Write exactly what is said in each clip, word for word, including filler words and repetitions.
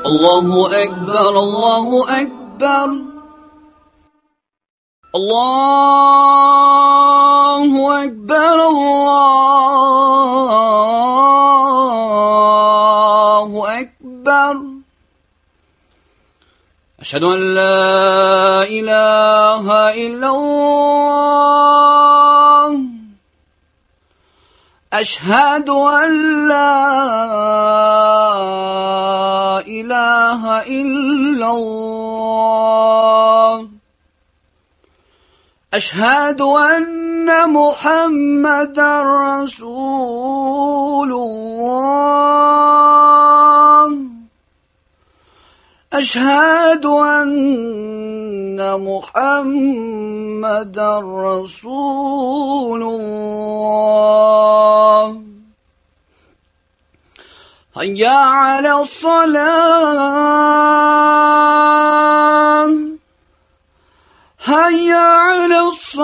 الله أكبر الله أكبر الله أكبر الله أكبر أشهد أن لا إله إلا الله أشهد أن لا إله إلا الله أشهد أن محمدا رسول الله أشهد أن محمدا رسول الله هيا على الصلاة هيا على الصلاة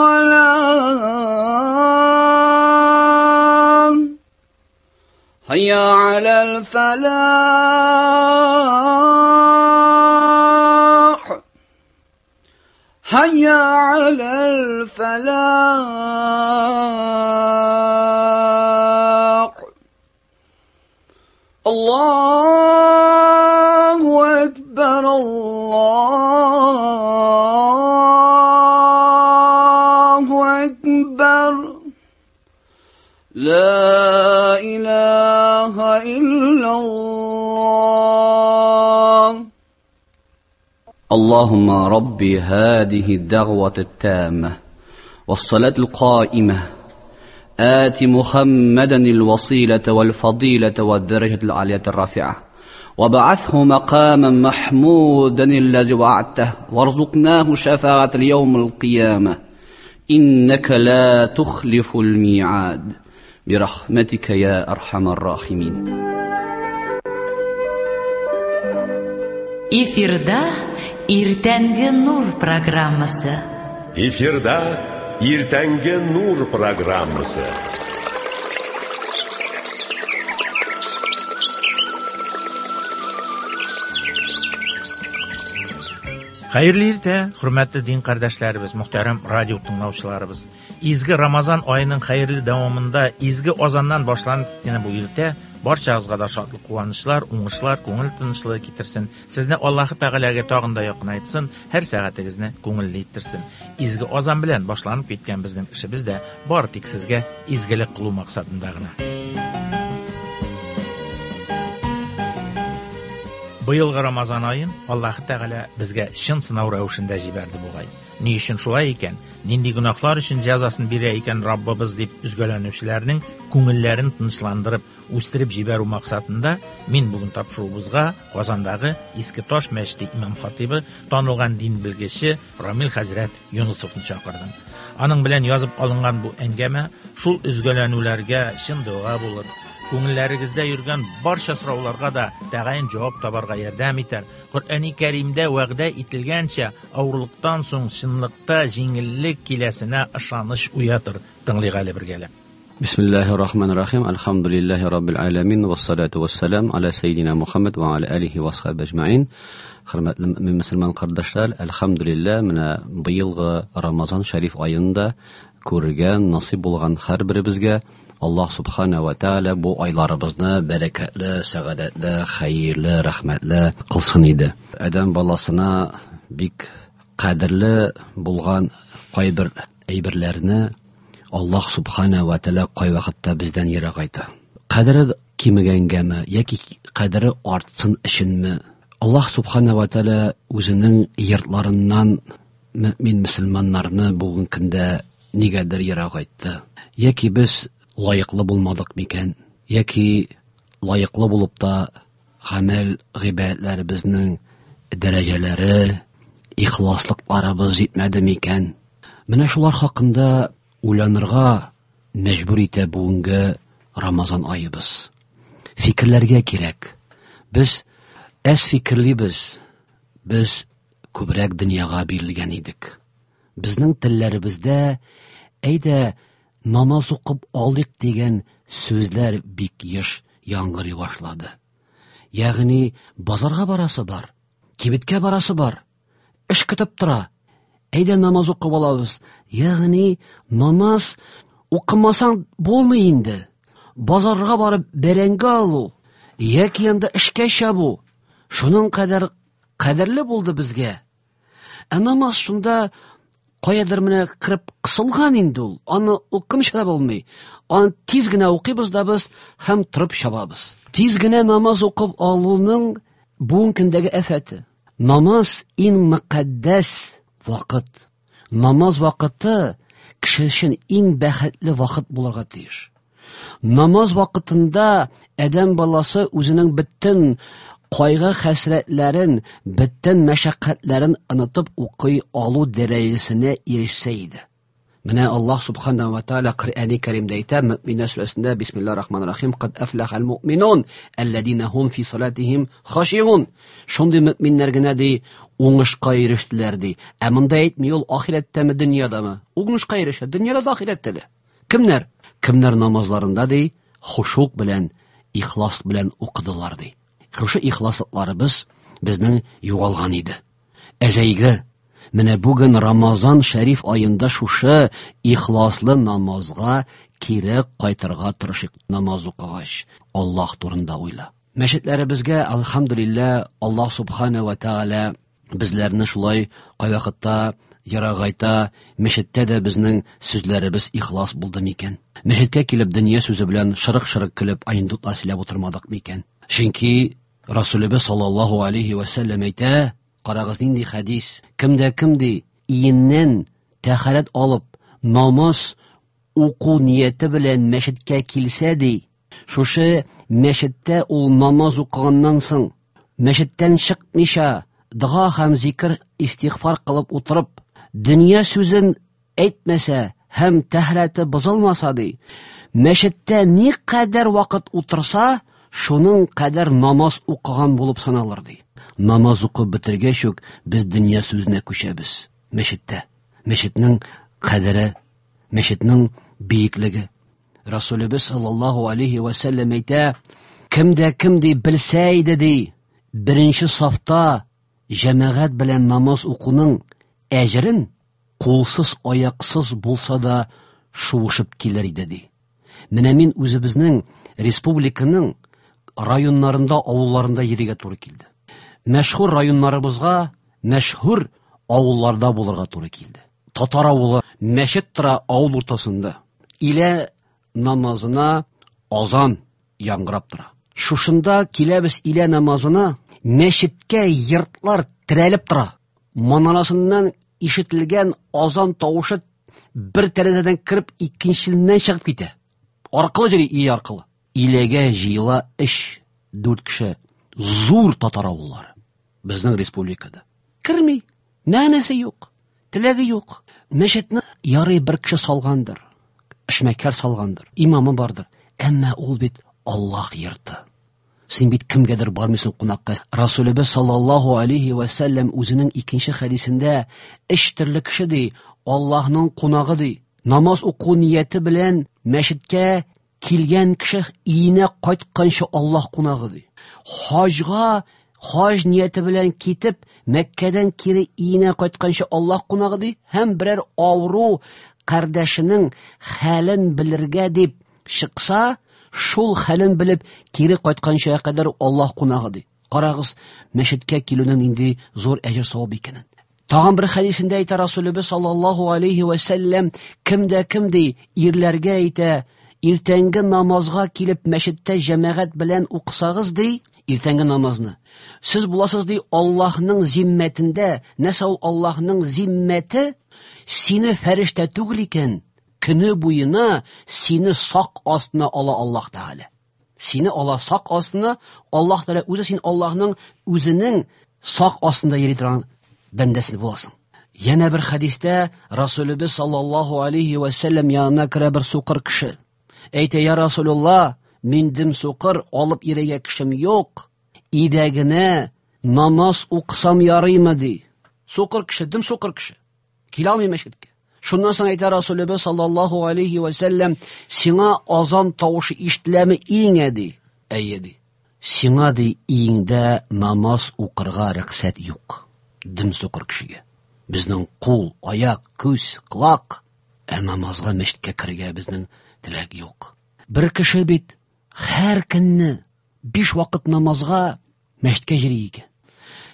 هيا على الفلاح هيا على الفلاح الله أكبر الله أكبر لا إله إلا الله اللهم ربي هذه الدعوة التامة والصلاة القائمة آت محمدا الوسيلة والفضيلة والدرجة العالية الرافعة وبعثه مقاما محمودا الذي وعدته وارزقناه شفاعة اليوم القيامة إنك لا تخلف الميعاد برحمتك يا أرحم الراحمين. Эфирда Иртәнге нур программасы. Эфирда Иртәнге нур программасы. Хәерле иртә, хөрмәтле дин кардәшләребез, мөхтәрәм радио тыңлаучыларыбыз. Изге Рамазан аеның хәерле дәвамында изге азаннан башланып киткән бу иртә барчагызга да шатлык, куанычлар, уңышлар, күңел тынычлыгы китерсен. Сезне Аллаһы Тәгаләгә тагын да якынайтсын, һәр сәгатегезне күңелле иттерсен. Изге азан белән башланып киткән безнең эшебез дә бары тик сезгә изгелек кылу максатында гына. Быелгы Рамазан аен Аллаһы Тәгалә безгә чын сынау рәвешендә җибәрде бугай. Ни өчен шулай икән? Нинди гөнаһлар өчен җәзасын бирә икән Раббыбыз дип өзгәләнүчеләрнең күңелләрен тынычландырып, үстереп җибәрү максатында мин бүген тапшыруыбызга Казандагы Иске Таш мәчете имам хатибы, танылган дин белгече Рамил хәзрәт Юнысовны чакырдым. Аның белән язып алынган бу әңгәмә шул өзгәләнүләргә чын дога булыр. Күңелләрегездә йөргән барча сорауларга да тәгаен җавап табарга ярдәм итәр. Коръәни Кәримдә вәгъдә ителгәнчә, авырлыктан соң чынлыкта җиңеллек киләсенә ышаныч уятыр. Тыңлыйк әле бергәләп. Бисмиллаһир-рахманир-рахим. Альхамдулиллаһи раббил аламин вассалату вассалам аля саййидина Мухаммад ва аля алихи ва асхабиһи ажмаин. Хөрмәтле мөмин мөселман кардәшләр, әлхәмдүлилләһ, менә быелгы Рамазан шәриф аенда күргән насыйп булган һәр беребезгә Аллаһ субхана ва тааля бу айларыбызны бәрәкәтле, сәгадәтле, хәерле, рәхмәтле кылсын иде. Адәм баласына бик кадерле булган кайбер әйберләрне Аллаһ субхана ва тааля кай вакытта бездән ерагайта. Кадере кимегәнгәме яки кадере артсын өченме? Аллаһ субхана ва тааля үзенең йортларыннан мөмин мөселманнарны бүген көндә нигәдер ерагайтты. Яки без лаеклы булмадык микән, яки лаеклы булып та гамәл гыйбадәтләребезнең дәрәҗәләре, ихласлыкларыбыз җитмәде микән? Менә шулар хакында уйланырга мәҗбүр итә бүгенге Рамазан аебыз. Фикерләргә кирәк. Без әз фикерлибез. Без күбрәк дөньяга бирелгән идек. Безнең телләребездә әйдә намаз укып алыйк дигән сүзләр бик еш яңгырый башлады. Ягъни базарга барасы бар, кибеткә барасы бар, эш көтеп тора. Әйдә намаз укып алабыз. Ягъни намаз укымасаң булмый инде. Базарга барып бәрәңге алу, яки анда эшкә чабу, шуның кадәр кадерле булды безгә. Ә намаз шунда каядыр менә кереп кысылган инде ул. Аны укымыйча да булмый. Аны тиз генә укыйбыз да без һәм торып чабабыз. Тиз генә намаз укып алуның бүгенге көндәге афәте. Намаз иң мөкаддәс вакыт. Намаз вакыты кеше өчен иң бәхетле вакыт булырга тиеш. Намаз вакытында адәм баласы үзенең бөтен кайгы хәсрәтләрен, бөтен мәшәкатьләрен онытып укый алу дәрәҗәсенә ирешсә иде. Менә Аллаһ субхана ва тааля Коръәни Кәримдә әйтә, Мөэминнәр сүрәсендә Бисмиллаһир-рахманир-рахим, Кад афлахал муъминун аллазина хум фи салатихим хашиун. Шундый мөэминнәр генә ди уңышка ирештеләр ди. Ә монда әйтми ул ахирәттәме, дөньядамы? Уңышка ирешә, дөньяда да, ахирәттә дә. Кемнәр? Кемнәр намазларында ди хушук белән, ихлас белән укыдылар ди. Шушы ихласлыкларыбыз безнең югалган иде. Әзәйге. Менә бүген Рамазан шәриф аенда шушы ихласлы намазга кире кайтырга тырышыйк. Намаз укыгач, Аллаһ турында уйла. Мәчетләребезгә, алхамдулилла, Аллаһ субхана ва тааля безләрне шулай кайвакытта ерагайта, мәчеттә дә безнең сүзләребез ихлас булды микән? Мәчеткә килеп дөнья сүзе белән шырык-шырык көлеп анекдотлар сөйләп утырмадык микән? Чөнки Расулыбыз саллаллаһу алейхи ва сәлләм әйтә, карагыз нинди хәдис, кемдә кем ди, иеннән тәһарәт алып, намаз уку нияте белән мәчеткә килсә ди, шушы мәчеттә ул намаз укыганнан соң, мәчеттән чыкмыйча, дога һәм зикр, истигъфар кылып утырып, дөнья сүзен әйтмәсә һәм тәһарәте бозылмаса ди, мәчеттә ни кадәр вакыт утырса, шуның кадәр намаз укыган булып саналыр ди. Намаз укып бетергәч үк без дөнья сүзенә күчәбез. Мәчеттә. Мәчетнең кадере, мәчетнең биеклеге. Расулыбыз саллаллаһу алейхи ва сәлләм әйтә, кемдә кем ди белсә иде ди, беренче сафта җәмәгать белән намаз укуның әҗерен кулсыз, аяксыз булса да шуышып килер иде ди. Менә мин үзебезнең республиканың районнарында, авылларында йөрергә туры килде. Мәшһүр районнарыбызга, мәшһүр авылларда булырга туры килде. Татар авылы мәчет тора авыл уртасында. Илә намазына азан яңгырап тора. Шушында киләбез илә намазына, мәчеткә йортлар терәлеп тора. Манарасыннан ишетелгән азан тавышы бер тәрәзәдән кереп икенчесеннән чыгып китә. Аркылы йөри, ие аркылы. Иләгә җыела өч, дүрт кеше. Зур татар авыллары безнең республикада. Керми, мәгънәсе юк, теләге юк. Мәчетне ярый бер кеше салгандыр, эшмәкәр салгандыр, имамы бардыр. Әмма ул бит Аллаһ йорты. Син бит кемгәдер бармыйсың кунакка. Расулыбыз саллаллаһу алейхи ва сәлләм үзенең икенче хәдисендә өч төрле кеше ди, Аллаһның кунагы ди. Намаз уку нияте белән мәчеткә килгән кеше өенә кайтканчы Аллаһ кунагы ди. Хаҗга хаҗ нияте белән китеп, Мәккәдән кире өенә кайтканчы Аллаһ кунагы ди, һәм берәр авыру кардәшенең хәлен белергә дип чыкса, шул хәлен белеп кире кайтканча кадәр Аллаһ кунагы ди. Карагыз, мәчеткә килүнең нинди зур әҗер савап икәнен. Тагын бер хәдисендә әйтә Расулыбыз саллаллаһу алейхи ва сәлләм, кемдә кем ди, ирләргә әйтә, иртәнге намазга килеп мәчеттә җәмәгать белән укысагыз ди, иртәнге намазны. Сез буласыз ди Аллаһның зиммәтендә. Нәрсә ул Аллаһның зиммәте? Сине фәрештә түгел икән, көне буена сине сак астына ала Аллаһ Тәгалә. Сине ала сак астына, Аллаһ Тәгалә үзе син Аллаһның үзенең сак астында йөри торган бәндәсе буласың. Яна бер хәдистә Расулыбыз саллаллаһу алейхи ва сәлләм янына керә бер сукыр кеше. Әйтә, я Расулулла, мин дим сукыр, алып йөрергә кешем юк. Өйдә генә намаз укысам ярыймы ди. Сукыр кеше, дим сукыр кеше. Килә алмый мәчеткә. Шуннан соң әйтә Расулыбыз саллаллаһу алейхи ва сәлләм, сиңа азан тавышы ишетеләме иңә ди. Әйе ди. Сиңа ди өеңдә намаз укырга рөхсәт юк. Дөм сукыр кешегә. Безнең кул, аяк, күз, колак, ә намазга мәчеткә керергә безнең теләк юк. Бер кеше бит һәр көнне биш вакыт намазга мәчеткә йөри икән.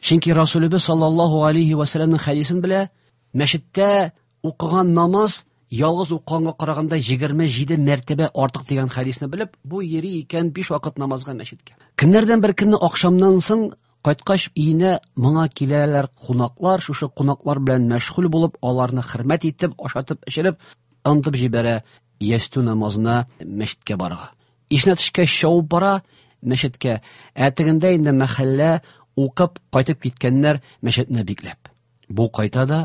Чөнки Расулыбыз саллаллаһу алейхи ва саллямның хәдисен белә, мәчеттә укыган намаз ялгыз укыганга караганда егерме җиде мәртәбә артык дигән хәдисне белеп, бу йөри икән биш вакыт намазга мәчеткә. Көннәрдән бер көнне ахшамнан соң кайткач өенә моңа киләләр кунаклар, шушы кунаклар белән мәшгуль булып, аларны хөрмәт итеп, ашатып, эчереп, онытып җибәрә ястү намазына мәчеткә барырга. Исенә төшкәч чабып бара мәчеткә. Ә тегендә инде мәхәллә укып кайтып киткәннәр мәчетне бикләп. Бу кайта да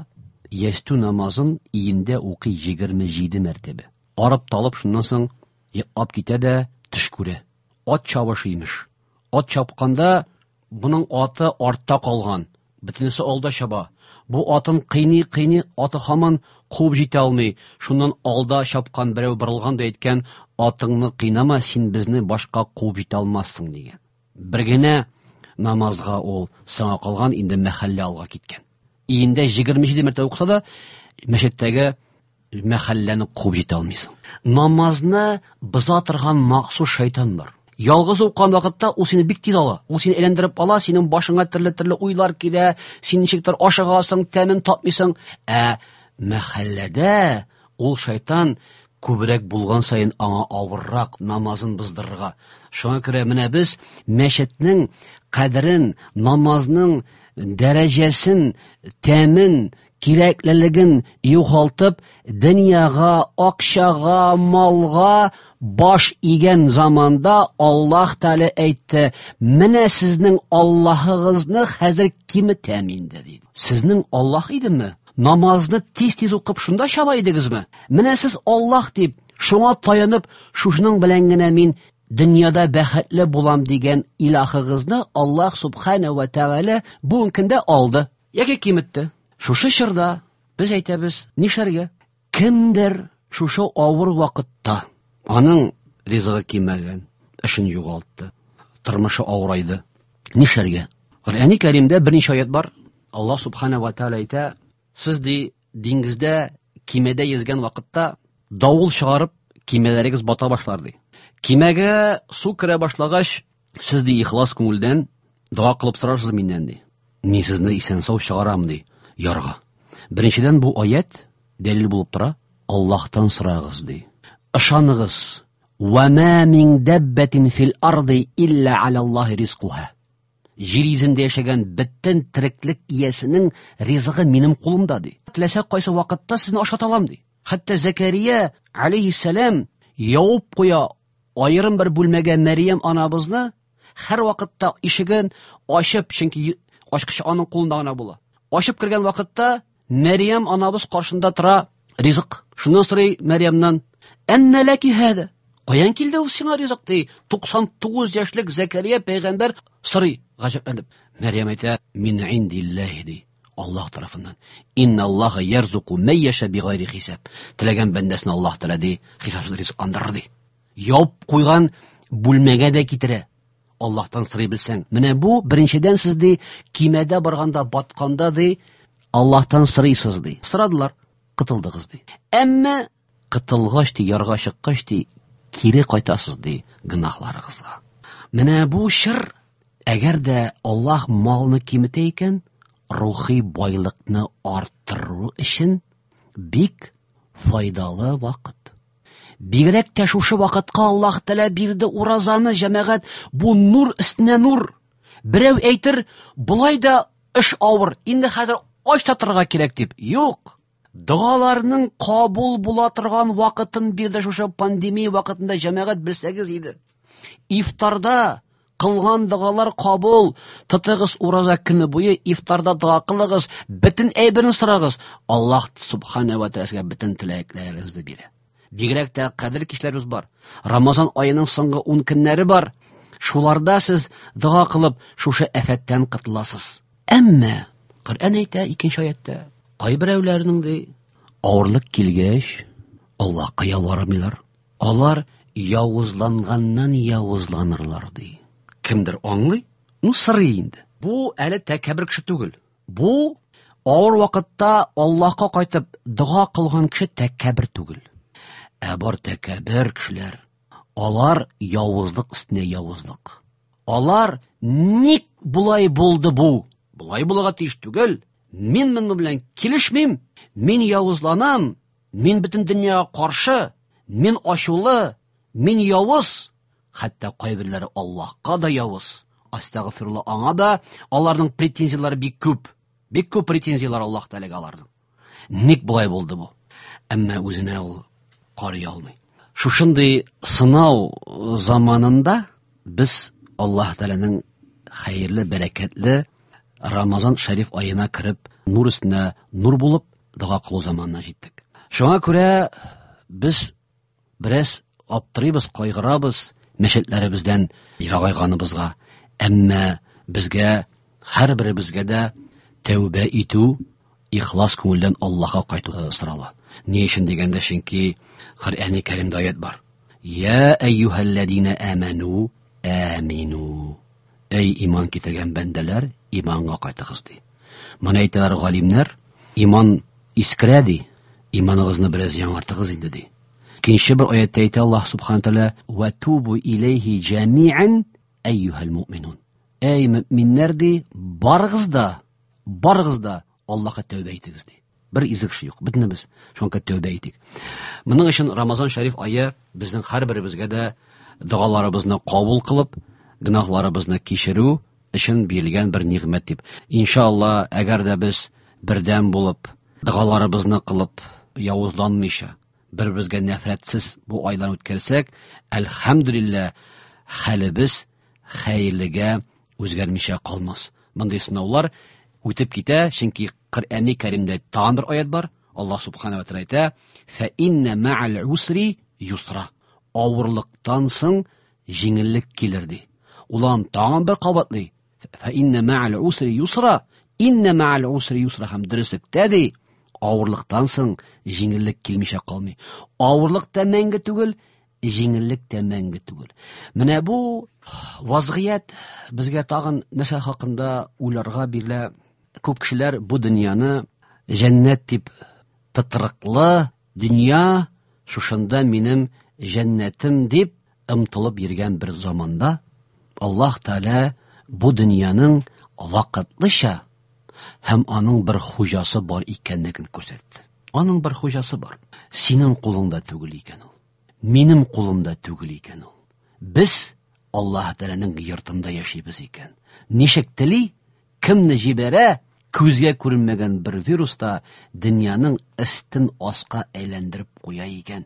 ястү намазын өендә укый егерме җиде мәртәбә. Арып талып шуннан соң йоклап китә дә төш күрә. Ат чабышы имеш. Ат чапканда буның аты артта калган, бөтенесе алда чаба. Бу атын кыйный-кыйный, аты һаман куып җитә алмый. Шуннан алда чапкан берәү борылган да әйткән, атыңны кыйнама, син безне башка куып җитә алмассың дигән. Бер генә намазга ул соңа калган, инде мәхәллә алга киткән. Өендә егерме җиде мәртәбә укыса да, мәчеттәге мәхәлләне куып җитә алмыйсың. Намазны боза торган махсус шайтан бар. Ялгыз укыган вакытта ул сине бик тиз ала. Ул сине әйләндереп ала, синең башыңа төрле-төрле уйлар килә, син ничектер ашыгасың, тәмен татмыйсың. Ә мәхәлләдә ул шайтан күбрәк булган саен аңа авыррак намазын боздырырга. Шуңа күрә менә без мәчетнең кадерен, намазның дәрәҗәсен, тәмен, кирәклелеген югалтып, дөньяга, акчага, малга баш игән заманда Аллаһ Тәгалә әйтте: "Менә сезнең Аллаһыгызны хәзер киметәм инде", диде. Сезнең Аллаһ идеме? Намазны тиз-тиз укып шунда чаба идегезме? Менә сез Аллаһ дип, шуңа таянып, шушының белән генә мин дөньяда бәхетле булам дигән илаһыгызны Аллаһ субхана ва тәгалә бүгенге көндә алды яки киметте. Шушы чорда без әйтәбез, нишләргә? Кемдер шушы авыр вакытта аның ризыгы кимәгән, эшен югалтты, тормышы авырайды. Нишләргә? Коръәни Кәримдә берничә аят бар. Аллаһ субхана ва тәгалә әйтә: сез ди диңгездә кимәдә йөзгән вакытта давыл чыгарып кимәләрегез бата башлар ди. Кимәгә су керә башлагач, сез ди ихлас күңелдән дога кылып сорарсыз миннән ди. Мин сезне исән-сау чыгарам ди ярга. Беренчедән бу аят дәлил булып тора. Аллаһтан сорагыз ди. Ышаныгыз. Ва ма мин даббатин фил арди илля алаллаһи ризкуха. Җир йөзендә яшәгән бөтен тереклек иясенең ризыгы минем кулымда ди. Теләсә кайсы вакытта сезне ашата алам ди. Хәтта Закария алейһиссәлам явып куя аерым бер бүлмәгә Мәрьям анабызны, һәр вакытта ишеген ачып, чөнки ачкычы аның кулында гына була. Ачып кергән вакытта Мәрьям анабыз каршында тора ризык. Шуннан сорый Мәрьямнан: "Әннә ләки һәдә?" Каян килде ул сиңа ризык ди? Туксан тугыз яшьлек Закария пәйгамбәр сорый гаҗәпләнеп. Мәрьям әйтә: "Мин индиллаһи" ди. Аллаһ тарафыннан. Инналлаһа ярзуку ман яша бигайри хисаб. Теләгән бәндәсен Аллаһ Тәгалә ди хисапсыз ризыкландырыр ди. Яуп куйган бүлмәгә дә китерә. Аллаһтан сорый белсәң. Менә бу беренчедән сез ди кимәдә барганда батканда ди Аллаһтан сорыйсыз ди. Сорадылар, кытылдыгыз ди. Әмма кытылгач ди, ярга чыккач ди, кире кайтасыз ди гөнаһларыгызга. Менә бу чор, әгәр дә Аллаһ малны киметә икән, рухи байлыкны арттыру өчен бик файдалы вакыт. Бигрәк тә шушы вакытка Аллаһ Тәгалә бирде уразаны, җәмәгать, бу нур өстенә нур. Берәү әйтер, болай да эш авыр, инде хәзер ач та торырга кирәк дип. Юк. Догаларның кабул була торган вакытын бирде шушы пандемия вакытында, җәмәгать, белсәгез иде. Ифтарда кылган догалар кабул. Тотыгыз ураза көне буе, ифтарда дога кылыгыз, бөтен әйберне сорагыз. Аллаһ субхана ва тәгалә сезгә бөтен теләкләрегезне бирә. Бигрәк тә кадер кичләребез бар. Рамазан аеның соңгы ун көннәре бар. Шуларда сез дога кылып шушы афәттән котыласыз. Әмма Коръән әйтә икенче аятта, кайберәүләрнең ди авырлык килгәч Аллаһка ялвармыйлар. Алар явызланганнан явызланырлар ди. Кемдер аңлый, ну сырый инде. Бу әле тәкәббер кеше түгел. Бу авыр вакытта Аллаһка кайтып дога кылган кеше тәкәббер түгел. Ә бар тәкәббер кешеләр, алар явызлык өстенә явызлык. Алар ник булай булды бу? Булай булырга тиеш түгел. Мин моның белән килешмим. Мин явызланам. Мин бөтен дөньяга каршы. Мин ачулы. Мин явыз. Хәтта кайберләре Аллаһка да явыз. Астагфирулла, аңа да аларның претензияләре бик күп. Бик күп претензияләр Аллаһ Тәгаләгә аларның. Ник булай булды бу? Әмма үзенә ул карый алмый. Шушындый сынау заманында без Аллаһ Тәгаләнең хәерле, бәрәкәтле Рамазан шәриф аена кереп, нур өстенә нур булып дога кылу заманына җиттек. Шуңа күрә без бераз аптырыйбыз, кайгырабыз мәчетләребездән ерагайганыбызга. Әмма безгә, һәрберебезгә дә тәүбә итү, ихлас күңелдән Аллаһка кайту сорала. Ни өчен дигәндә, чөнки Коръәни Кәримдә аят бар. Я әйюһәлләзина аману амину. Эй иман китергән бәндәләр, иманга кайтыгыз ди. Моны әйтәләр галимнәр, иман искерә ди, иманыгызны бераз яңартыгыз инде ди. Икенче бер аятта әйтә Аллаһ субхана тәгалә: "Ва тубу илейхи җамиан әйюһәл муъминун". Эй мөминнәр ди, барыгыз да, барыгыз да Аллаһка тәүбә итегез ди. Бер изге кеше юк, бөтенебез шуңа тәүбә итик. Моның өчен Рамазан шәриф ае безнең һәрберебезгә дә догаларыбызны кабул кылып, гөнаһларыбызны кичерү өчен бирелгән бер нигъмәт дип. Иншалла, әгәр дә без бердәм булып, догаларыбызны кылып, явызланмыйча, бер-беребезгә нәфрәтсез бу айларны үткәрсәк, әлхәмдүлилләһ, хәлебез хәерлегә үзгәрмичә калмас. Мондый сынаулар үтеп китә, чөнки Коръәни Кәримдә тагын бер аят бар. Аллаһ субхана ва тәгалә әйтә: "Фә инна ма'ал усри юсра". Авырлыктан соң җиңеллек килер ди. Улан тагын бер кабатлый: "Фә инна ма'ал усри юсра". Инна ма'ал усри юсра һәм дөреслектә ди, авырлыктан соң җиңеллек килмичә калмый. Авырлык та мәңге түгел, җиңеллек тә мәңге түгел. Менә бу вазгыять безгә тагын нәрсә хакында уйларга бирелә. Күп кешеләр бу дөньяны җәннәт дип, тытрыклы дөнья, шушында минем җәннәтем дип омтылып йөргән бер заманда Аллаһ Тәгалә бу дөньяның вакытлыча һәм аның бер хуҗасы бар икәнлеген күрсәтте. Аның бер хуҗасы бар. Синең кулыңда түгел икән ул. Минем кулымда түгел икән ул. Без Аллаһ Тәгаләнең йортында яшибез икән. Ничек тели, кемне җибәрә, күзгә күренмәгән бер вируста дөньяның өстен аска әйләндереп куя икән.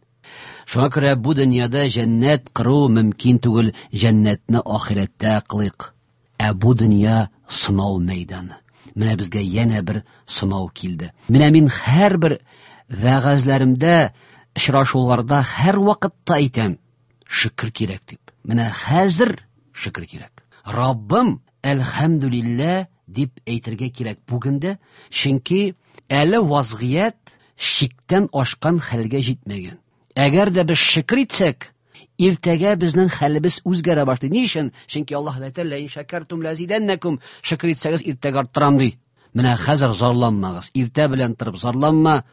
Шуңа күрә бу дөньяда җәннәт кыру мөмкин түгел, җәннәтне ахирәттә кылыйк. Ә бу дөнья сынау мәйданы. Менә безгә янә бер сынау килде. Менә мин һәрбер вәгазьләремдә, очрашуларда һәр вакытта әйтәм, шөкер кирәк дип. Менә хәзер шөкер кирәк. Раббым, әлхәмдүлилләһ дип әйтергә кирәк бүген дә, чөнки әле вазгыять чиктән ашкан хәлгә җитмәгән. Әгәр дә без шөкер итсәк, иртәгә безнең хәлебез үзгәрә башлый. Ни өчен? Чөнки Аллаһ әйтә: "Ла ин шакартум лазиданнакум". Шөкер итсәгез, иртәгә арттырам ди. Менә хәзер зарланмагыз. Иртә белән торып зарланма.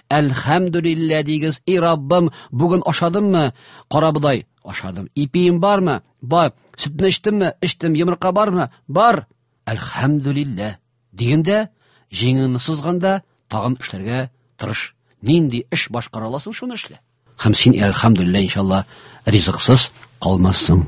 Әлхәмдүлилләһ дигез. Эй Раббым, бүген ашадыммы? Карабодай ашадым. Ипием бармы? Бар. Сөтне эчтемме? Эчтем. Йомырка бармы? Бар. Әлхәмдүлилләһ дигәндә, җиңеңне сызганда тагын эшләргә тырыш. Нинди эш башкара аласың, шуны эшлә. Һәм син әлхәмдүлилләһ иншалла ризыксыз калмассың.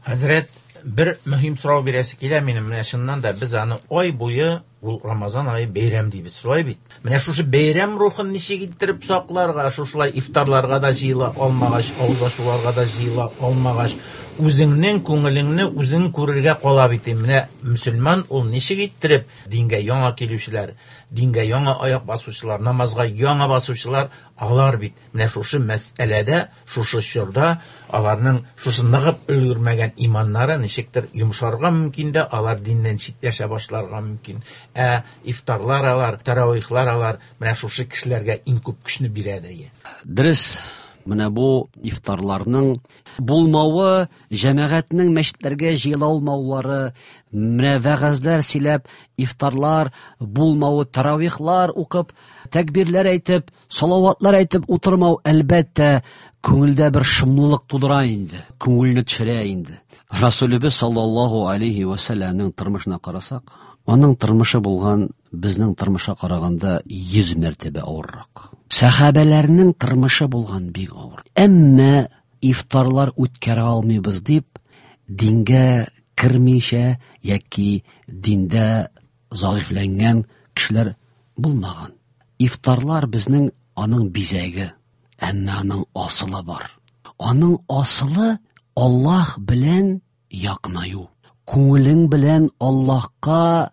Хәзрәт, бер мөһим сорау бирәсе килә минем. Менә чыннан да без аны ай буе, ул Рамазан ае бәйрәм дибез, шулай бит. Менә шушы бәйрәм рухын ничек иттереп сакларга, шушылай ифтарларга да җыела алмагач, авыз ачуларга да җыела алмагач, үзеңнең күңелеңне үзең күрергә кала бит. Менә мөселман ул ничек иттереп дингә яңа килүчеләр, дингә яңа аяк басучылар, намазга яңа басучылар, алар бит менә шушы мәсьәләдә, шушы чорда аларның шушы ныгып өлгермәгән иманнары ничектер йомшарга мөмкин дә, алар диннән читләшә башларга мөмкин. Ә ифтарлар алар, таравихлар алар менә шушы кешеләргә иң күп көчне бирәдер. Дөрес, менә бу ифтарларның булмавы, җәмәгатьнең мәчетләргә җыела алмаулары, менә вәгазьләр сөйләп, ифтарлар булмавы, таравихлар укып, тәкбирләр әйтеп, салаватлар әйтеп утырмау, әлбәттә, күңелдә бер шомлылык тудыра инде, күңелне төшерә инде. Расулыбыз саллаллаһу алейхи ва сәлламнең тормышына карасак, аның тормышы булган безнең тормышка караганда йөз мәртәбә авыррак. Сәхабәләрнең тормышы булган бик авыр. Әмма ифтарлар үткәрә алмыйбыз дип, дингә кермичә яки диндә зәгыйфьләнгән кешеләр булмаган. Ифтарлар безнең аның бизәге, әмма аның асылы бар. Аның асылы Аллаһ белән якынаю. Күңелең белән Аллаһка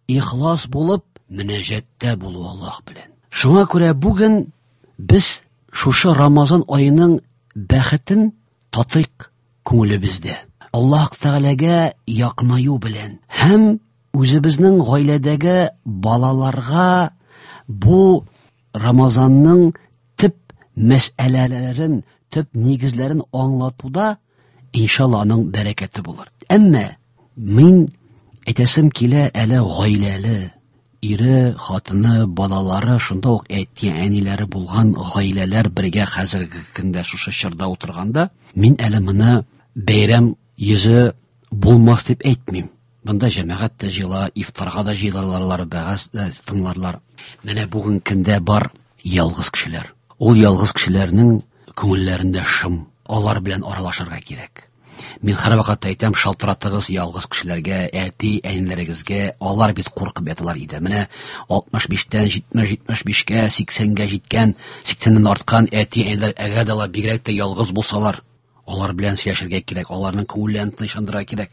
ихлас булып, мөнәҗәттә булу Аллаһ белән. Шуңа күрә бүген без шушы Рамазан аеның бәхетен татыйк күңелебездә. Аллаһ Тәгаләгә якынаю белән һәм үзебезнең гаиләдәге балаларга бу Рамазанның төп мәсьәләләрен, төп нигезләрен аңлатуда иншалла аның бәрәкәте булыр. Әмма мин әйтәсем килә, әле гаиләле, ире, хатыны, балалары, шунда ук әти-әниләре булган гаиләләр бергә хәзерге көндә шушы чорда утырганда, мин әле моны бәйрәм йөзе булмас дип әйтмим. Бында җәмәгать тә җыела, ифтарга да җыелалар, вәгазь дә тыңларлар. Менә бүген көндә бар ялгыз кешеләр. Ул ялгыз кешеләрнең күңелләрендә шым, алар белән аралашырга кирәк. Мин һәр вакытта әйтәм, шалтыратыгыз ялгыз кешеләргә, әти, әниләрегезгә, алар бит куркып яталар иде. Менә алтмыш биштән җитмеш, җитмеш бишкә, сиксәнгә җиткән, сиксәннән арткан әти, әниләр, әгәр дә алар бигрәк тә ялгыз булсалар, алар белән сөйләшергә кирәк, аларның күңелләрен тынычландырырга кирәк.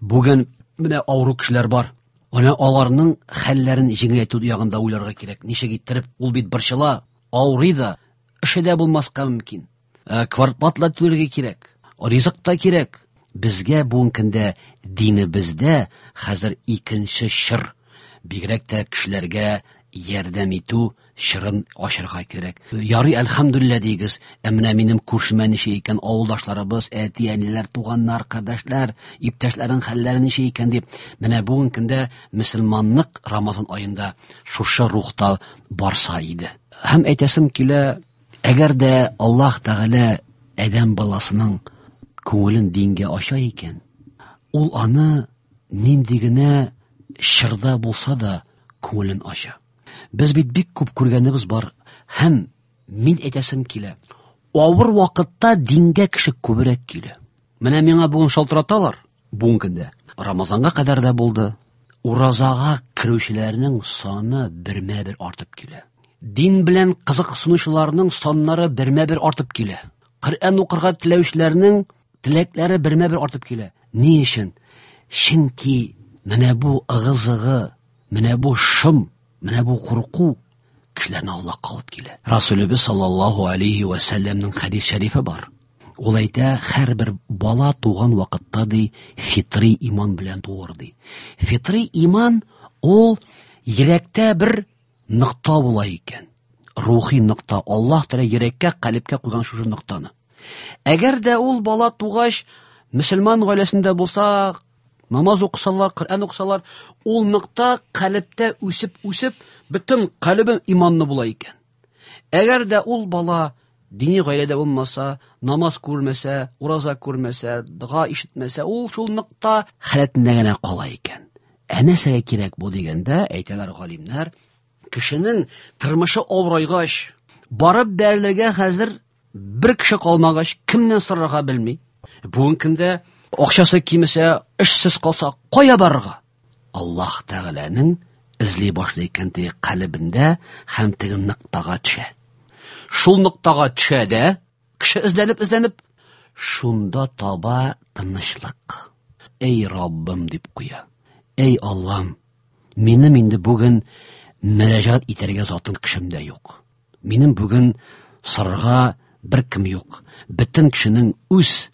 Бүген менә авыру кешеләр бар. Менә аларның хәлләрен җиңеләйтү ягында уйларга кирәк. Ничек иттереп, ул бит борчыла, авырый да, эше дә булмаска мөмкин. Ә, квартплата түләргә кирәк, ризык та кирәк. Безгә бүгенге көндә динебездә хәзер икенче чор, бигрәк тә кешеләргә ярдәм итү чорын ачырга кирәк. Ярый, әлхәмдүлилләһ дигез, ә менә минем күршемә ничә икән, авылдашларыбыз, әти-әниләр, туганнар, кардәшләр, иптәшләрнең хәлләре ничә икән дип, менә бүгенге көндә мөселманлык Рамазан аенда шушы рухта барса иде. Һәм әйтәсем килә, әгәр дә Аллаһ Тәгалә адәм баласының күңелен дингә ача икән, ул аны нинди генә чорда булса да күңелен ача. Без бит бик күп күргәнебез бар, һәм мин әйтәсем килә, авыр вакытта дингә кеше күбрәк килә. Менә миңа бүген шалтыраталар, бүгенге көндә. Рамазанга кадәр дә булды. Уразага керүчеләрнең саны бермә-бер артып килә. Дин белән кызыксынучыларның саннары бермә-бер артып килә. Коръән укырга теләүчеләрнең теләкләре бермә-бер артып килә. Ни өчен? Чөнки менә бу ыгы-зыгы, менә бу шым, менә бу курку кешеләрне Аллаһка алып килә. Расулыбыз саллаллаһу алейхи ва сәлләмнең хәдис шәрифе бар. Ул әйтә, һәрбер бала туган вакытта ди, фитри иман белән туыр ди. Фитри иман ул йөрәктә бер нокта була икән. Рухи нокта. Аллаһ Тәгалә йөрәккә, калебкә куйган шушы ноктаны. Әгәр дә ул бала тугач, мөселман гаиләсендә булса, намаз укысалар, Коръән укысалар, ул нокта калебтә үсеп-үсеп, бөтен калебе иманлы була икән. Әгәр дә ул бала дини гаиләдә булмаса, намаз күрмәсә, ураза күрмәсә, дога ишетмәсә, ул шул нокта халәтендә генә кала икән. Ә нәрсәгә кирәк бу дигәндә, әйтәләр галимнәр, кешенең тормышы авырайгач, барып бәрелергә хәзер бер кеше калмагач, кемнән сорарга белми. Бүгенге көндә акчасы кимесә, эшсез калса, кая барырга? Аллаһ Тәгаләнең эзли башлый икән теге калебендә һәм теге ноктага төшә. Шул ноктага төшә дә, кеше эзләнеп, эзләнеп, шунда таба тынычлык. Эй Раббым дип куя. Эй Аллам, минем инде бүген мөрәҗәгать итәргә затым кешем дә юк. Минем бүген сорарга бер кем юк. Бөтен кешенең үз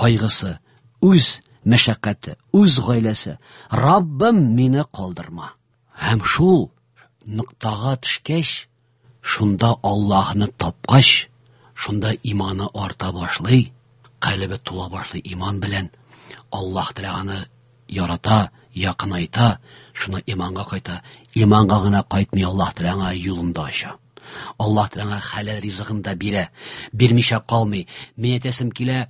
кайгысы, үз мәшәкате, үз гаиләсе. Раббым, мине калдырма. Һәм шул ноктага төшкәч, шунда Аллаһны тапкач, шунда иманы арта башлый, Калбе тула башлый иман белән. Аллаһ Тәгалә аны ярата, якынайта, шуны иманга кайта. Иманга гына кайтмый, Аллаһ Тәгалә аңа юлын да ача. Аллаһ Тәгалә аңа хәләл ризыгын да бирә, бирмичә калмый. Мин әйтәсем килә,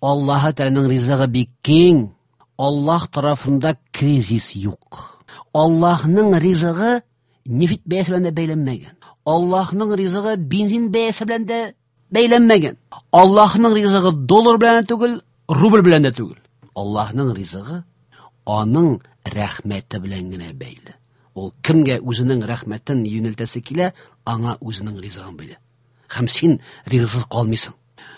Аллаһ Тәгаләнең ризыгы бик киң. Аллаһ тарафында кризис юк. Аллаһның ризыгы нефть бәясе белән дә бәйләнмәгән. Аллаһның ризыгы бензин бәясе белән дә бәйләнмәгән. Аллаһның ризыгы доллар белән дә түгел, рубль белән дә түгел. Аллаһның ризыгы аның рәхмәте белән генә бәйле. Ул кемгә үзенең рәхмәтен юнәлтәсе килә, аңа үзенең ризыгын бирә. Һәм син ризыксыз калмыйсың.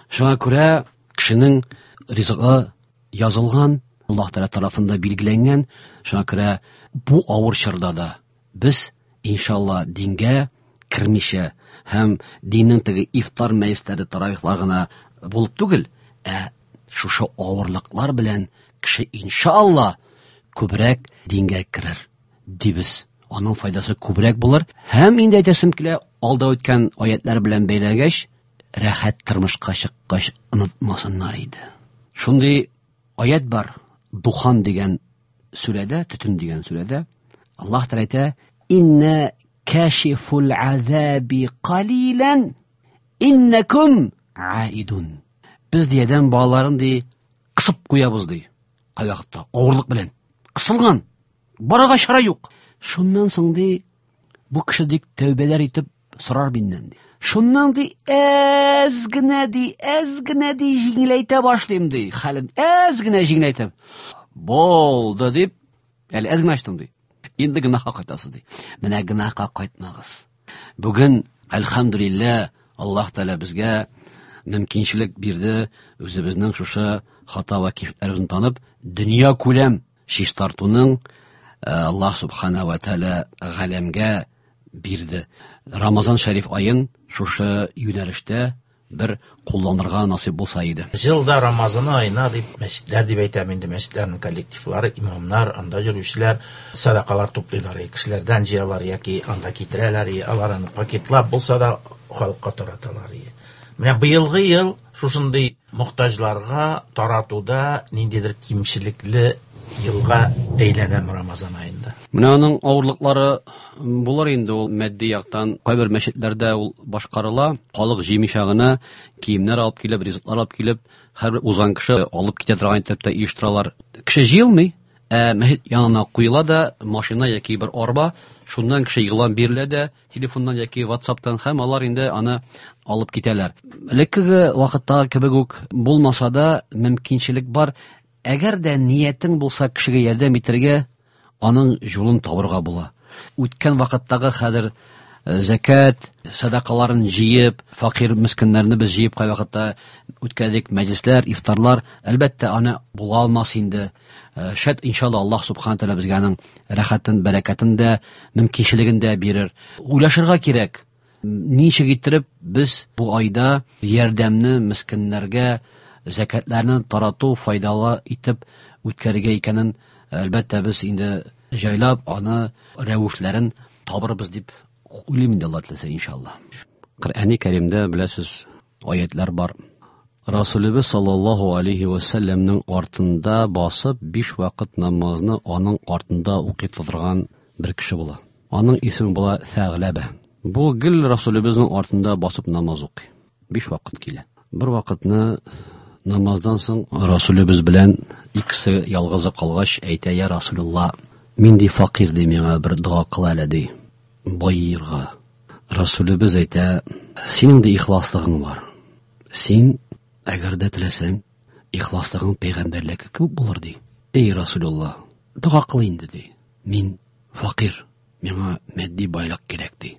Шуңа күрә кешенең ризыгы язылган, Аллаһ Тәгалә тарафында билгеләнгән. Шуңа күрә бу авыр чорда да без иншалла дингә кермичә һәм диннең теге ифтар мәҗлесләре, таравихлар гына булып түгел, ә шушы авырлыклар белән кеше иншалла күбрәк дингә керер дибез. Аның файдасы күбрәк булыр. Һәм инде әйтәсем килә, алда үткән аятлар белән бәйләгәч, рәхәт тормышка чыккач онытмасыннар иде. Шундый аят бар, Духан дигән сүрәдә, төтен дигән сүрәдә Аллаһ Тәгалә әйтә: "Инна кашифул азаби қалилан иннакум аидун". Без ди адәм балаларын ди кысып куябыз ди. Кайвакытта авырлык белән кысылган, барырга чара юк. Шуннан соң ди бу кеше ди тәүбәләр итеп сорар миннән ди. Шуннан ди әз генә ди, әз генә ди җиңеләйтә башлыйм ди, хәлен әз генә җиңеләйтеп. Булды дип, әле әз генә ачтым ди. Инде гөнаһка кайтасы ди. Менә гөнаһка кайтмагыз. Бүген әлхәмдүлилләһ Аллаһ Тәгалә безгә мөмкинчелек бирде, үзебезнең шушы хата ва кимчелекләребезне танып, дөнья күләм чистартуның Аллаһ Субхана ва Тәгалә галәмгә бирде. Рамазан шәриф аен шушы юнәлештә бер кулланырга насыйп булса иде. Җылда Рамазан аена дип мәчетләр дип әйтәм инде, мәчетләрнең коллективлары, имамнар, анда йөрүчеләр садакалар туплыйлар, кешеләрдән җыялар яки анда китерәләр, алар аны пакетлап булса да халыкка тараталар. Менә быелгы ел шушындый мохтаҗларга таратуда ниндидер кимчелекле елга әйләнәм Рамазан аенда. Менә аның авырлыклары булыр инде ул матди яктан. Кайбер мәчетләрдә ул башкарыла, халык җыймыйча гына киемнәр алып килеп, ризыклар алып килеп, һәрбер узган кеше алып китә торган итеп тә оештыралар. Кеше җыелмый, ә мәчет янына куела да машина яки бер арба, шуннан кеше игълан бирелә дә телефоннан яки WhatsApp'тан, һәм алар инде аны алып китәләр. Элеккеге вакыттагы кебек үк булмаса да мөмкинчелек бар. Әгәр дә ниятең булса кешегә ярдәм итәргә, аның юлын табырга була. Үткән вакыттагы хәзер зәкят, садакаларын җыеп, факир мискиннәрне без җыеп кай вакытта үткәрдек, мәҗлесләр, ифтарлар, әлбәттә, аны була алмас инде. Шәт иншалла Аллаһ субхана тәгалә безгә аның рәхәтен, бәрәкәтен дә, мөмкинчелеген дә бирер. Уйлашырга кирәк. Ничек иттереп без бу айда ярдәмне мискиннәргә, зәкятләрне тарату файдалы итеп үткәрергә икәнен, әлбәттә, без инде җайлап аны рәвешләрен табырбыз дип уйлыйм инде, Алла теләсә, иншалла. Коръәни Кәримдә беләсез аятлар бар. Расулыбыз саллаллаһу алейхи ва сәлләмнең артында басып биш вакыт намазны аның артында укый торган бер кеше була. Аның исеме була Сәгъләбә. Бу гел Расулыбызның артында басып намаз укый. Биш вакыт килә. Бер вакытны намаздан соң Расулыбыз белән икесе ялгызы калгач әйтә: "Я Расулулла, мин ди факир ди, миңа бер дога кыл әле ди, байырга". Расулыбыз әйтә: "Синең дә ихласлыгың бар. Син әгәр дә теләсәң, ихласлыгың пәйгамбәрлеккә күп булыр ди. Эй Расулулла, дога кыл инде ди. Мин факир, миңа матди байлык кирәк ди".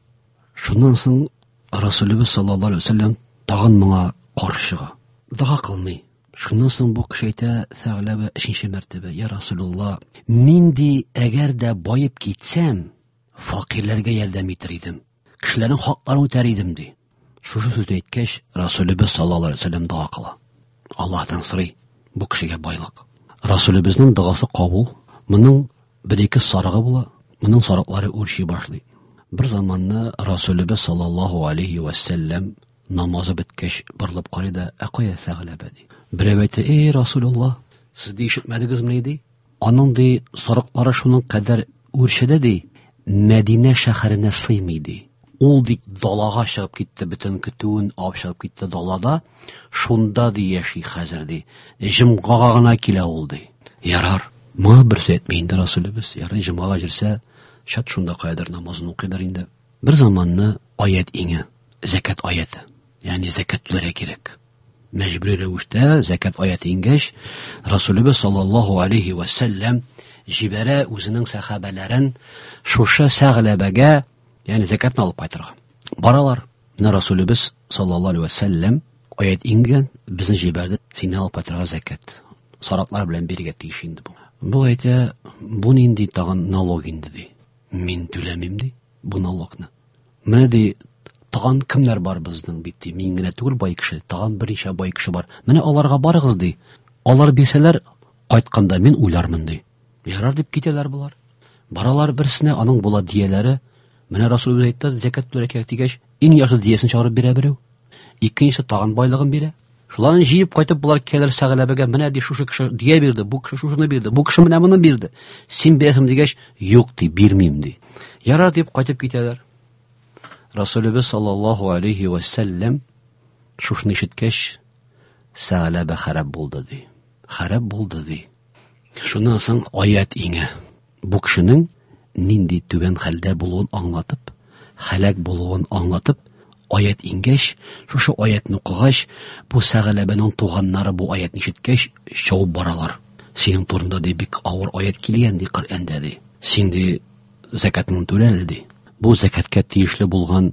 Шуннан соң Расулыбыз саллаллаһу алейһи ва сәлләм тагын моңа каршы чыга. Дога кылмый. Шуннан соң бу кеше әйтә, Сәгъләбә өченче мәртәбә: "Я Расулулла, мин ди әгәр дә баеп китсәм, факирләргә ярдәм итер идем, кешеләрнең хакларын үтәр идем ди". Шушы сүзне әйткәч, Расулыбыз саллаллаһу алейһи ва сәлләм дога кыла. Аллаһтан сорый бу кешегә байлык. Расулыбызның догасы кабул. Моның бер-ике сарыгы була, моның сарыклары үрчи башлый. Бер заманны Расулыбыз саллаллаһу алейһи ва сәлләм намазы беткәч борылып карый да: "Ә кая Сәгъләбә?" ди. Берәү әйтә, эй, Расулулла, сез ди ишетмәдегезме ди? Аның ди сарыклары шуның кадәр үрчеде ди, Мәдинә шәһәренә сыймый ди. Ул ди далага чыгып китте, бөтен көтүен алып чыгып китте далада, шунда ди яши хәзер ди. Җомгага гына килә ул ди. Ярар, моңа бер сүз әйтми инде Расулыбыз. Ярый, җомгага җирсә, шат шунда каядыр намазын укыйдыр инде. Бер заманны аят иңе, зәкәт аяты. Ягъни зәкәт түләргә кирәк. Мәҗбүри рәвештә зәкәт аяты иңгәч, Расулыбыз саллаллаһу алейхи ва сәлләм җибәрә үзенең сәхабәләрен шушы Сәгъләбәгә, ягъни зәкәтне алып кайтырга. Баралар. Менә Расулыбыз саллаллаһу алейхи ва сәлләм аят иңгән, безне җибәрде, сине алып кайтырга зәкәт. Сараклар белән бирергә тиеш инде бу. Бу әйтә, бу нинди тагын налог инде ди. Мин түләмим ди бу налогны. Менә ди, тагын кемнәр бар безнең бит ди. Мин генә түгел бай кеше, тагын берничә бай кеше бар. Менә аларга барыгыз ди. Алар бирсәләр, кайтканда мин уйлармын ди. Ярар дип китәләр болар. Баралар берсенә, аның була дияләре. Менә Расулыбыз әйтте, зәкәт түләргә кирәк дигәч, иң яхшы диясен чыгарып бирә берәү. Икенчесе тагын байлыгын бирә. Шуларны җыеп кайтып болар киләләр Сәгъләбәгә, менә ди шушы кеше дия бирде, бу кеше шушыны бирде, бу кеше менә моны бирде. Син бирәсең дигәч, юк ди, бирмим ди. Ярар дип кайтып китәләр. Расулыбыз саллаллаһу алейхи ва сәлләм шушыны ишеткәч, Сәгъләбә харап булды ди. Харап булды ди. Шуннан соң аят иңә. Бу кешенең нинди түбән хәлдә булуын аңлатып, һәлак булуын аңлатып, аят иңгәч, шушы аятны укыгач, бу Сәгъләбәнең туганнары бу аятны ишеткәч, чабып баралар. Синең турында ди бик авыр аят килгән ди Коръәндә ди. Син ди зәкәтне түлә ди. Бу зәкәткә тиешле булган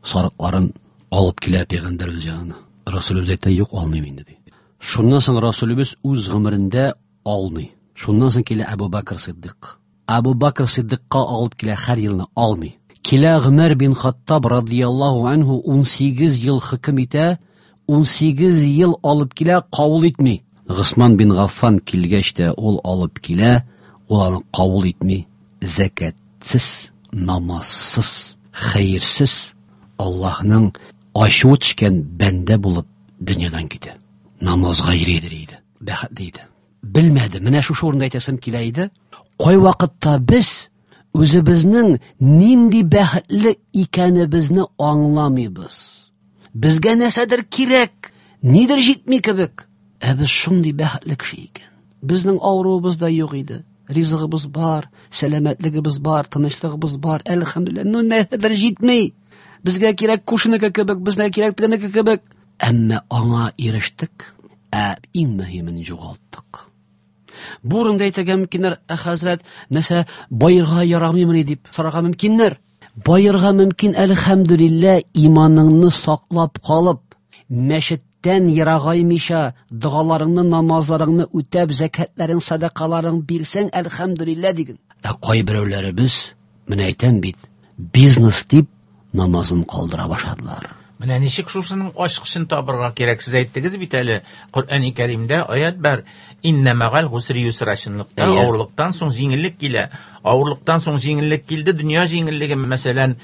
сарыкларын алып килә пәйгамбәребез янына. Расулыбыз әйтә, юк, алмыйм инде ди. Шуннан соң Расулыбыз үз гомерендә алмый. Шуннан соң килә Әбу Бакр Сиддык. Әбу Бакр Сиддыкка алып килә һәр елны алмый. Килә Гомәр бин Хаттаб радияллаһу анһу ун сигез ел хөкем итә, ун сигез ел алып килә, кабул итми. Госман бин Гаффан килгәч тә ул алып килә, ул аны кабул итми. Зәкәтсез, намазсыз, хәерсез, Аллаһның ачуы төшкән бәндә булып дөньядан китә. Намазга йөридер иде, бәхетле иде. Белмәде. Менә шушы урында әйтәсем килә иде. Кай вакытта без үзебезнең нинди бәхетле икәнебезне аңламыйбыз. Безгә нәрсәдер кирәк, нидер җитми кебек. Ә без шундый бәхетле кеше икән. Безнең авыруыбыз да юк иде. Ризыгыбыз бар, сәламәтлегебез бар, тынычлыгыбыз бар. Әлхәмдүлилләһ, ну нәрсәдер җитми. Безгә кирәк кушыныкы кебек, безгә кирәк тегенеке кебек. Әмма аңа ирештек, ә иң мөһимен югалттык. Бу урында әйтергә мөмкиннәр, ә хәзрәт, нәрсә байырга ярамыймыни дип сорарга мөмкиннәр. Байырга мөмкин, әлхәмдүлилләһ, иманыңны саклап калып, мәчеттән ерагаймыйча, догаларыңны, намазларыңны үтәп, зәкәтләрең, садакаларың бирсәң, әлхәмдүлилләһ диген. Ә кайберәүләребез, менә әйтәм бит, бизнес дип намазын калдыра башладылар. Менә ничек шушының ачкычын табырга кирәк? Сез әйттегез бит әле, Коръәни Кәримдә аят бар. Иннә мәгал гусри юсра, чынлыкта авырлыктан соң җиңеллек килә. Авырлыктан соң җиңеллек килде, дөнья җиңеллеге, мәсәлән,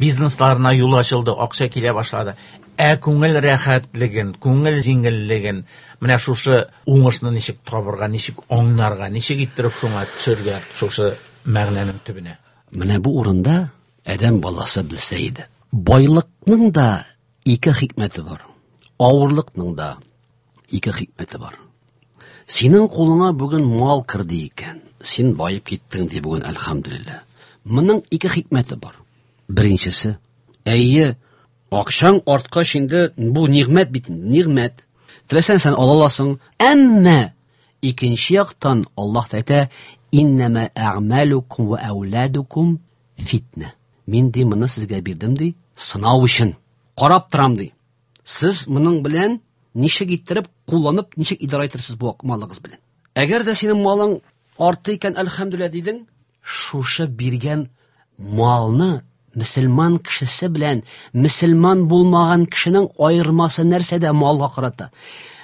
бизнесларына юл ачылды, акча килә башлады. Ә күңел рәхәтлеген, күңел җиңеллеген, менә шушы уңышны ничек табырга, ничек аңларга, ничек иттереп шуңа төшергә, шушы мәгънәнең төбенә. Менә бу урында адәм баласы белсә иде. Байлыкның да ике хикмәте бар. Авырлыкның да ике хикмәте бар. Синең кулыңа бүген мал керде икән, син байып киттең ди бүген, әлхәмдүлилләһ. Моның ике хикмәте бар. Беренчесе, әйе, акчаң арткач инде бу нигъмәт бит, нигъмәт. Теләсәң сен ала аласың, әмма икенче яктан Аллаһ әйтә, иннәмә әгъмәлукум ва әүладукум фитнә. Мин ди моны сезгә бирдем ди, сынау өчен. Карап торам ди. Сез моның белән ничек иттереп кулланып, ничек идара итерсез бу малыгыз белән. Әгәр дә синең малың артты икән, әлхәмдүлилләһ дидең, шушы биргән малны мөселман кешесе белән мөселман булмаган кешенең аермасы нәрсәдә малга карата?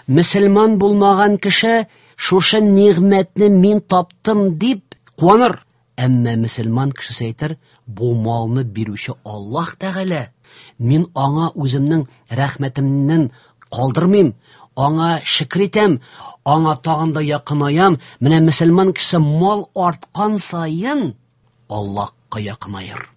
Мөселман булмаган кеше шушы нигъмәтне мин таптым дип куаныр. Әмма мөселман кешесе әйтер, бу малны бирүче Аллаһ Тәгалә, мин аңа үземнең рәхмәтемнән калдырмыйм, аңа шөкер итәм, аңа тагын да якынаям. Менә мөселман кеше мал арткан саен Аллаһка якынаер.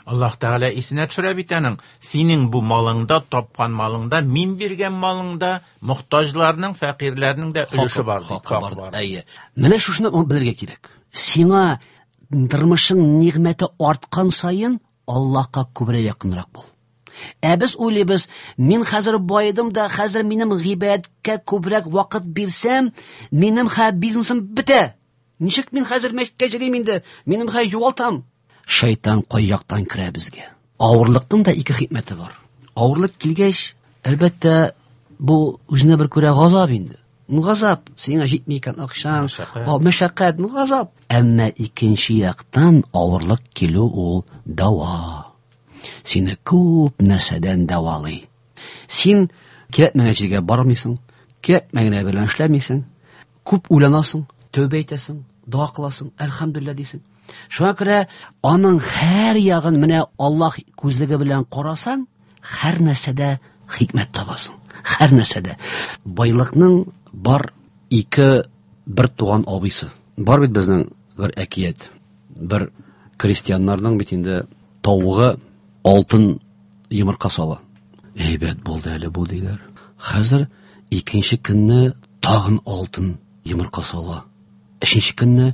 Аллаһ Тәгалә исенә төшерә бит аның. Синең бу малыңда, тапкан малыңда, мин биргән малыңда мохтаҗларның, фәкыйрьләрнең дә өлеше бар, дип, хакы бар. Әйе. Менә шушыны белергә кирәк. Сиңа тормышың нигъмәте арткан саен Аллаһка күбрәк якынрак бул. Ә без уйлыйбыз, мин хәзер байыдым да, хәзер минем гыйбадәткә күбрәк вакыт бирсәм, минем хә бизнесым бетә. Ничек мин хәзер мәчеткә йөрим инде? Минем хә югалтам. Шайтан кай яктан керә безгә? Авырлыкның да ике хикмәте бар. Авырлык килгәч, әлбәттә, бу үзенә бер күрә газап инде. Ну газап, сиңа җитми икән акчаң, мәшәкать, ну газап. Әмма икенче яктан авырлык килү ул дәва. Сине күп нәрсәдән дәвалый. Син кирәкмәгән җиргә бармыйсың, кирәкмәгән белән эшләмисең, күп уйланасың, тәүбә итәсең, дога кыласың, әлхәмдүлилләһ дисең. Шуңа күрә аның һәр ягын менә Аллаһ күзлеге белән карасаң, һәр нәрсәдә хикмәт табасың. Һәр нәрсәдә. Байлыкның бар ике бер туган абыйсы. Бар бит безнең бер әкият. Бер крестьяннарның бит инде тавыгы алтын йомырка сала. Әйбәт булды әле бу диләр. Хәзер икенче көнне тагын алтын йомырка сала. Өченче көнне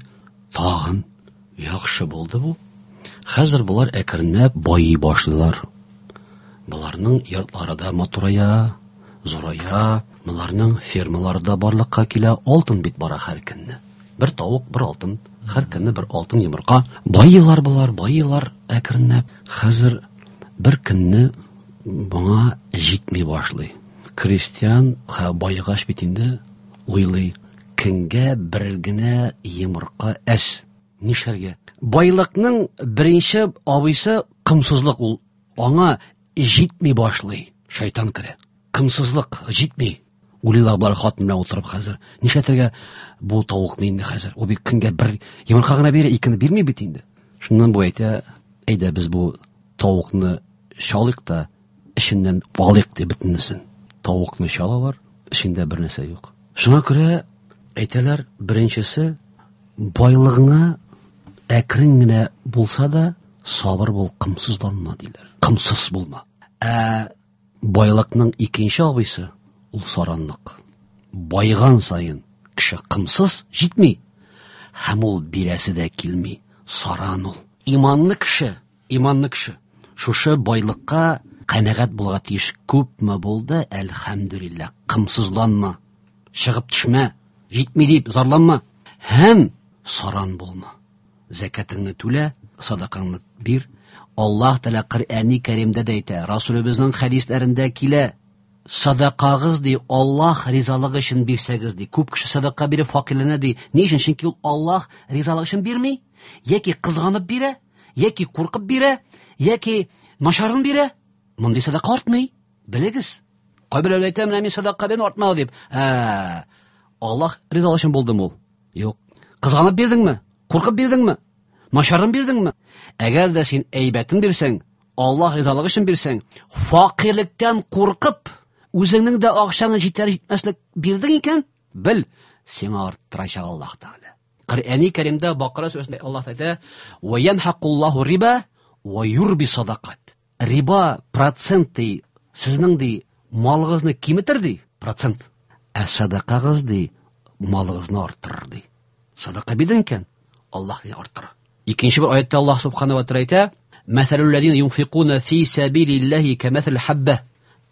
тагын. Яхшы булды бу. Хәзер булар әкренләп байый башлыйлар. Буларның йортлары да матурая, зурая, буларның фермалары да барлыкка килә, алтын бит бара һәр көнне. Бер тавык, бер алтын, һәр көнне бер алтын йомырка. Байыйлар булар, байыйлар әкренләп. Хәзер бер көнне моңа җитми башлый. Крестьян байыгач бит инде уйлый, көнгә бер генә йомырка әз. Нишләргә? Байлыкның беренче абыйсы кымсызлык, ул аңа җитми башлый. Шайтан керә. Кымсызлык җитми. Уйлыйлар болар хатын белән утырып хәзер. Нишләтергә бу тавыкны инде хәзер? Ул бит көнгә бер йомырка гына бирә, икене бирми бит инде. Шуннан бу әйтә, әйдә без бу тавыкны чалыйк та эченнән алыйк дип бөтенесен. Тавыкны чалалар, эчендә бер нәрсә юк. Шуңа күрә әйтәләр, беренчесе байлыгыңа әкрен генә булса да сабыр бул, кымсызланма диләр. Кымсыз булма. Ә байлыкның икенче абыйсы ул саранлык. Байган саен кеше кымсыз җитми. Һәм ул бирәсе дә килми. Саран ул. Иманлы кеше, иманлы кеше шушы байлыкка канәгать булырга тиеш. Күпме булды, әлхәмдүлилләһ. Кымсызланма, чыгып төшмә, җитми дип зарланма һәм саран булма. Зәкәтеңне түлә, садакаңны бир. Аллаһ Тәгалә Коръәни Кәримдә дә әйтә, Расулыбызның хәдисләрендә килә, садакагыз ди, Аллаһ ризалыгы өчен бирсәгез ди. Күп кеше садака биреп факирләнә ди. Ни өчен? Чөнки ул Аллаһ ризалыгы өчен бирми, яки кызганып бирә, яки куркып бирә, яки начарын бирә. Мондый садака артмый. Белегез. Кайберәүләр әйтә, менә мин садака бирдем, артмады дип. Ә, Аллаһ ризалыгы өчен булдымы ул? Юк. Кызганып бирдеңме? Куркып бирдеңме? Начарын бирдеңме? Әгәр дә син әйбәтен бирсәң, Аллаһ ризалыгы өчен бирсәң, факирлектән куркып, үзеңнең дә акчаңы җитәр җитмәслек бирдең икән, бел, сиңа арттырачак Аллаһ Тәгалә. Коръәни Кәримдә Бакара сүрәсендә Аллаһ әйтә: "Ва ямхакуллаһу риба ва юрби садакат". Риба процент ди, сезнең ди малыгызны киметер ди, процент. Ә садакагыз ди малыгызны арттырыр ди. Садака бирдең икән, Аллаһ ди арттырыр. Икенче бер аятта Аллаһ субхана ва тааля әйтә: "Мәсәлүл ләзина юнфикуна фи сәбилиллаһи кәмәсәл хабба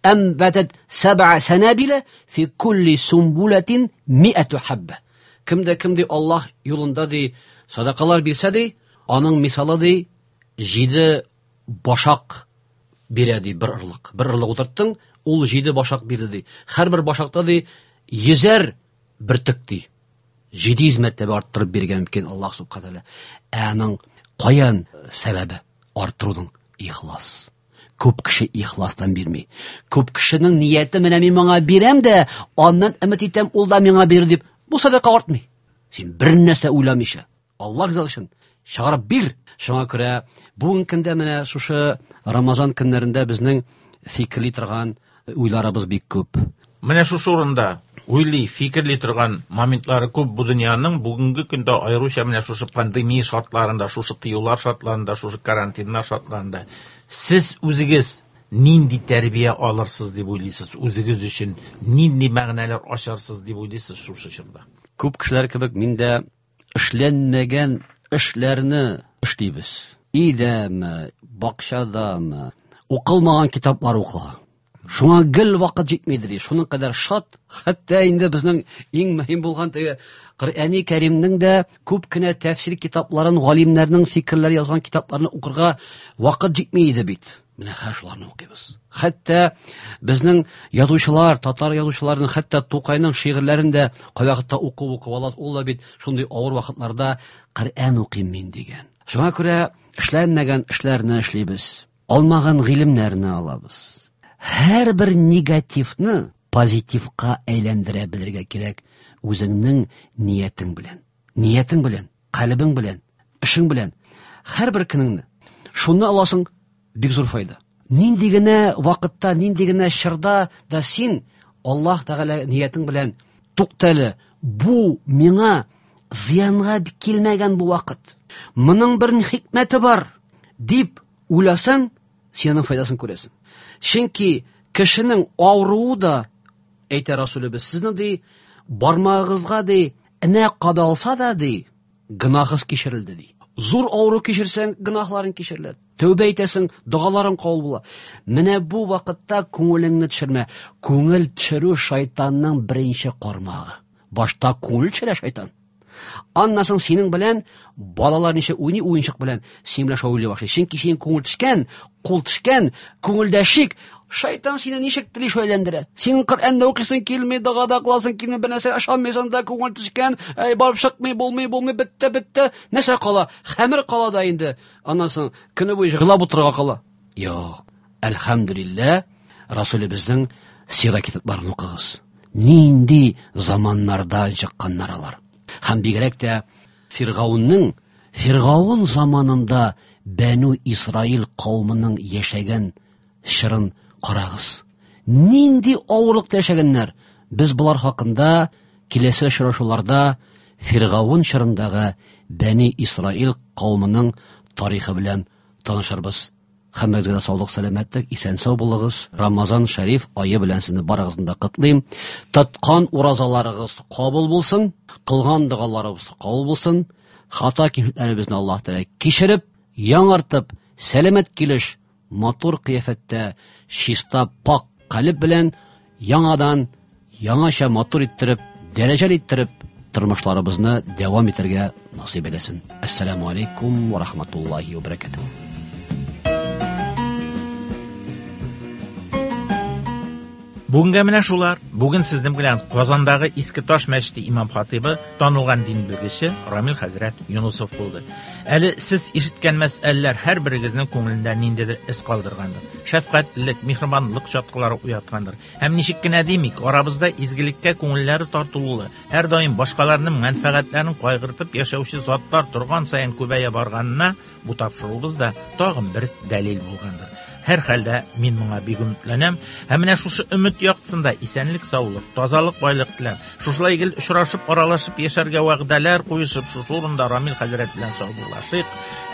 әнбатат сәб'a санабила фи кулли сумбулатин миату хабба". Кемдә кем ди Аллаһ юлында ди садакалар бирсә ди, аның мисалы ди җиде башак бирә ди бер ырлык. Бер ырлык утырттың, ул җиде башак бирде ди. Һәрбер башакта ди йөзәр бөртек ди. Җиде йөз мәртәбә арттырып биргән мөмкин Аллаһ субхана тааля. Ә аның каян сәбәбе арттыруның? Ихлас. Күп кеше ихластан бирми. Күп кешенең нияте менә мин моңа бирәм дә, аннан өмет итәм, ул да миңа бирер дип. Бу садака артмый. Син бер нәрсә уйламыйча, Аллаһ ризалыгы өчен чыгарып бир. Шуңа күрә бүгенге көндә менә шушы Рамазан көннәрендә безнең фикерли торган уйларыбыз бик күп. Менә шушы урында уйлый, фикерли торган моментлары күп бу дөньяның бүгенге көндә, аеруча менә шушы пандемия шартларында, шушы тыюлар шартларында, шушы карантиннар шартларында. Сез үзегез нинди тәрбия алырсыз дип уйлыйсыз, үзегез өчен нинди мәгънәләр ачарсыз дип уйлыйсыз шушы чорда? Күп кешеләр кебек мин дә эшләнмәгән эшләрне эшлибез. Өйдәме, бакчадамы, укылмаган китаплар укыла. Шуңа гел вакыт җитмидер. Шуның кадәр шат, хәтта инде безнең иң мөһим булган теге Коръәни Кәримнең дә күп кенә тәфсир китапларын, галимнәрнең фикерләре язган китапларны укырга вакыт җитми иде бит. Менә хәзер шуларны укыйбыз. Хәтта безнең язучылар, татар язучыларының, хәтта Тукайның шигырьләрен дә кайвакытта укып укып алабыз. Ул да бит шундый авыр вакытларда Коръән укыйм мин дигән. Шуңа күрә эшләнмәгән эшләрне эшлибез. Алмаган гыйлемнәрне алабыз. Һәрбер негативны позитивка әйләндерә белергә кирәк үзеңнең ниятең белән. Ниятең белән, калебең белән, эшең белән. Һәрбер көнеңне. Шуны аласың, бик зур файда. Нинди генә вакытта, нинди генә чорда да син Аллаһ Тәгалә ниятең белән туктале, бу миңа зыянга килмәгән бу вакыт. Моның бер хикмәте бар дип уйласаң, син аның файдасын күрәсең. Чөнки кешенең авыруы да, әйтә Расулыбыз, сезнең ди бармагыгызга ди энә кадалса да ди гөнаһыз кичерелде ди. Зур авыру кичерсәң, гөнаһларың кичерелә. Тәүбә итәсең, догаларың кабул була. Менә бу вакытта күңелеңне төшермә. Күңел төшерү шайтанның беренче кармагы. Башта күңел төшерә шайтан. Аннан соң синең белән балалар ничә уйный уенчык белән, синең белән шаулый башлый. Чөнки синең күңел төшкән, кул төшкән, күңелдә шик, шайтан сине ничек тели шәйләндерә. Синең Коръәндә укыйсың килми, догада кыласың килми, бер нәрсә ышанмыйсың да, күңел төшкән, әй барып чыкмый, булмый, булмый, бетте, бетте. Нәрсә кала? Хәмер кала да инде. Аннан соң көне буе җырлап утырырга кала. Юк. Әлхәмдүлилләһ, Расулыбызның сира китапларын укыгыз. Нинди заманнарда чыкканнар алар. Һәм бигрәк тә Фиргаунның, Фиргаун заманында Бәнү Исраил кавымының яшәгән чорын карагыз. Нинди авырлыкта яшәгәннәр. Без болар хакында киләсе очрашуларда Фиргаун чорындагы Бәни Исраил кавымының тарихы белән танышырбыз. Һәммәгезгә дә саулык, сәламәтлек, исән-сау булыгыз. Рамазан шәриф ае белән сезне барыгызны да котлыйм. Тоткан уразаларыгыз кабул булсын, кылган догаларыгыз кабул булсын. Хата кимчелекләребезне Аллаһ Тәгалә кичереп, яңартып, сәламәт килеш, матур кыяфәттә, чиста, пак калеб белән яңадан яңача матур иттереп, дәрәҗәле иттереп тормышларыбызны дәвам итәргә насыйп әйләсен. Ассаламу алейкум ва рахматуллахи ва баракатуһ. Бүгенгә менә шулар. Бүген сезнең белән Казандагы Иске Таш мәчете имам хатибы, танылган дин белгече Рамил хәзрәт Юнусов булды. Әле сез ишеткән мәсьәләләр һәрберегезнең күңелендә ниндидер эз калдыргандыр. Шәфкатьлелек, миһербанлык чаткылары уяткандыр. Һәм ничек кенә димик, арабызда изгелеккә күңелләре тартылулы, һәр даим башкаларның мәнфәгатьләрен кайгыртып яшәүче затлар торган саен күбәя барганына бу тапшыруыбыз да тагын бер дәлил булгандыр. Һәр хәлдә мин моңа бик өметләнәм. Һәм менә шушы өмет яктысында исәнлек, саулык, тазалык, байлык теләп, шушылай гел очрашып, аралашып яшәргә вәгъдәләр куешып, шушы урында Рамил хәзрәт белән саубуллашыйк.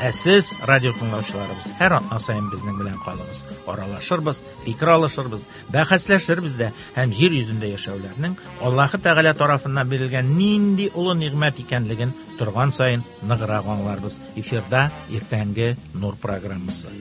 Ә сез, радио тыңлаучыларыбыз, һәр атна саен безнең белән калыгыз. Аралашырбыз, фикер алышырбыз, бәхәсләшербез дә һәм җир йөзендә яшәүләрнең Аллаһы Тәгалә тарафыннан бирелгән нинди олы нигъмәт икәнлеген торган саен ныграк аңларбыз. Эфирда иртәнге Нур программасы.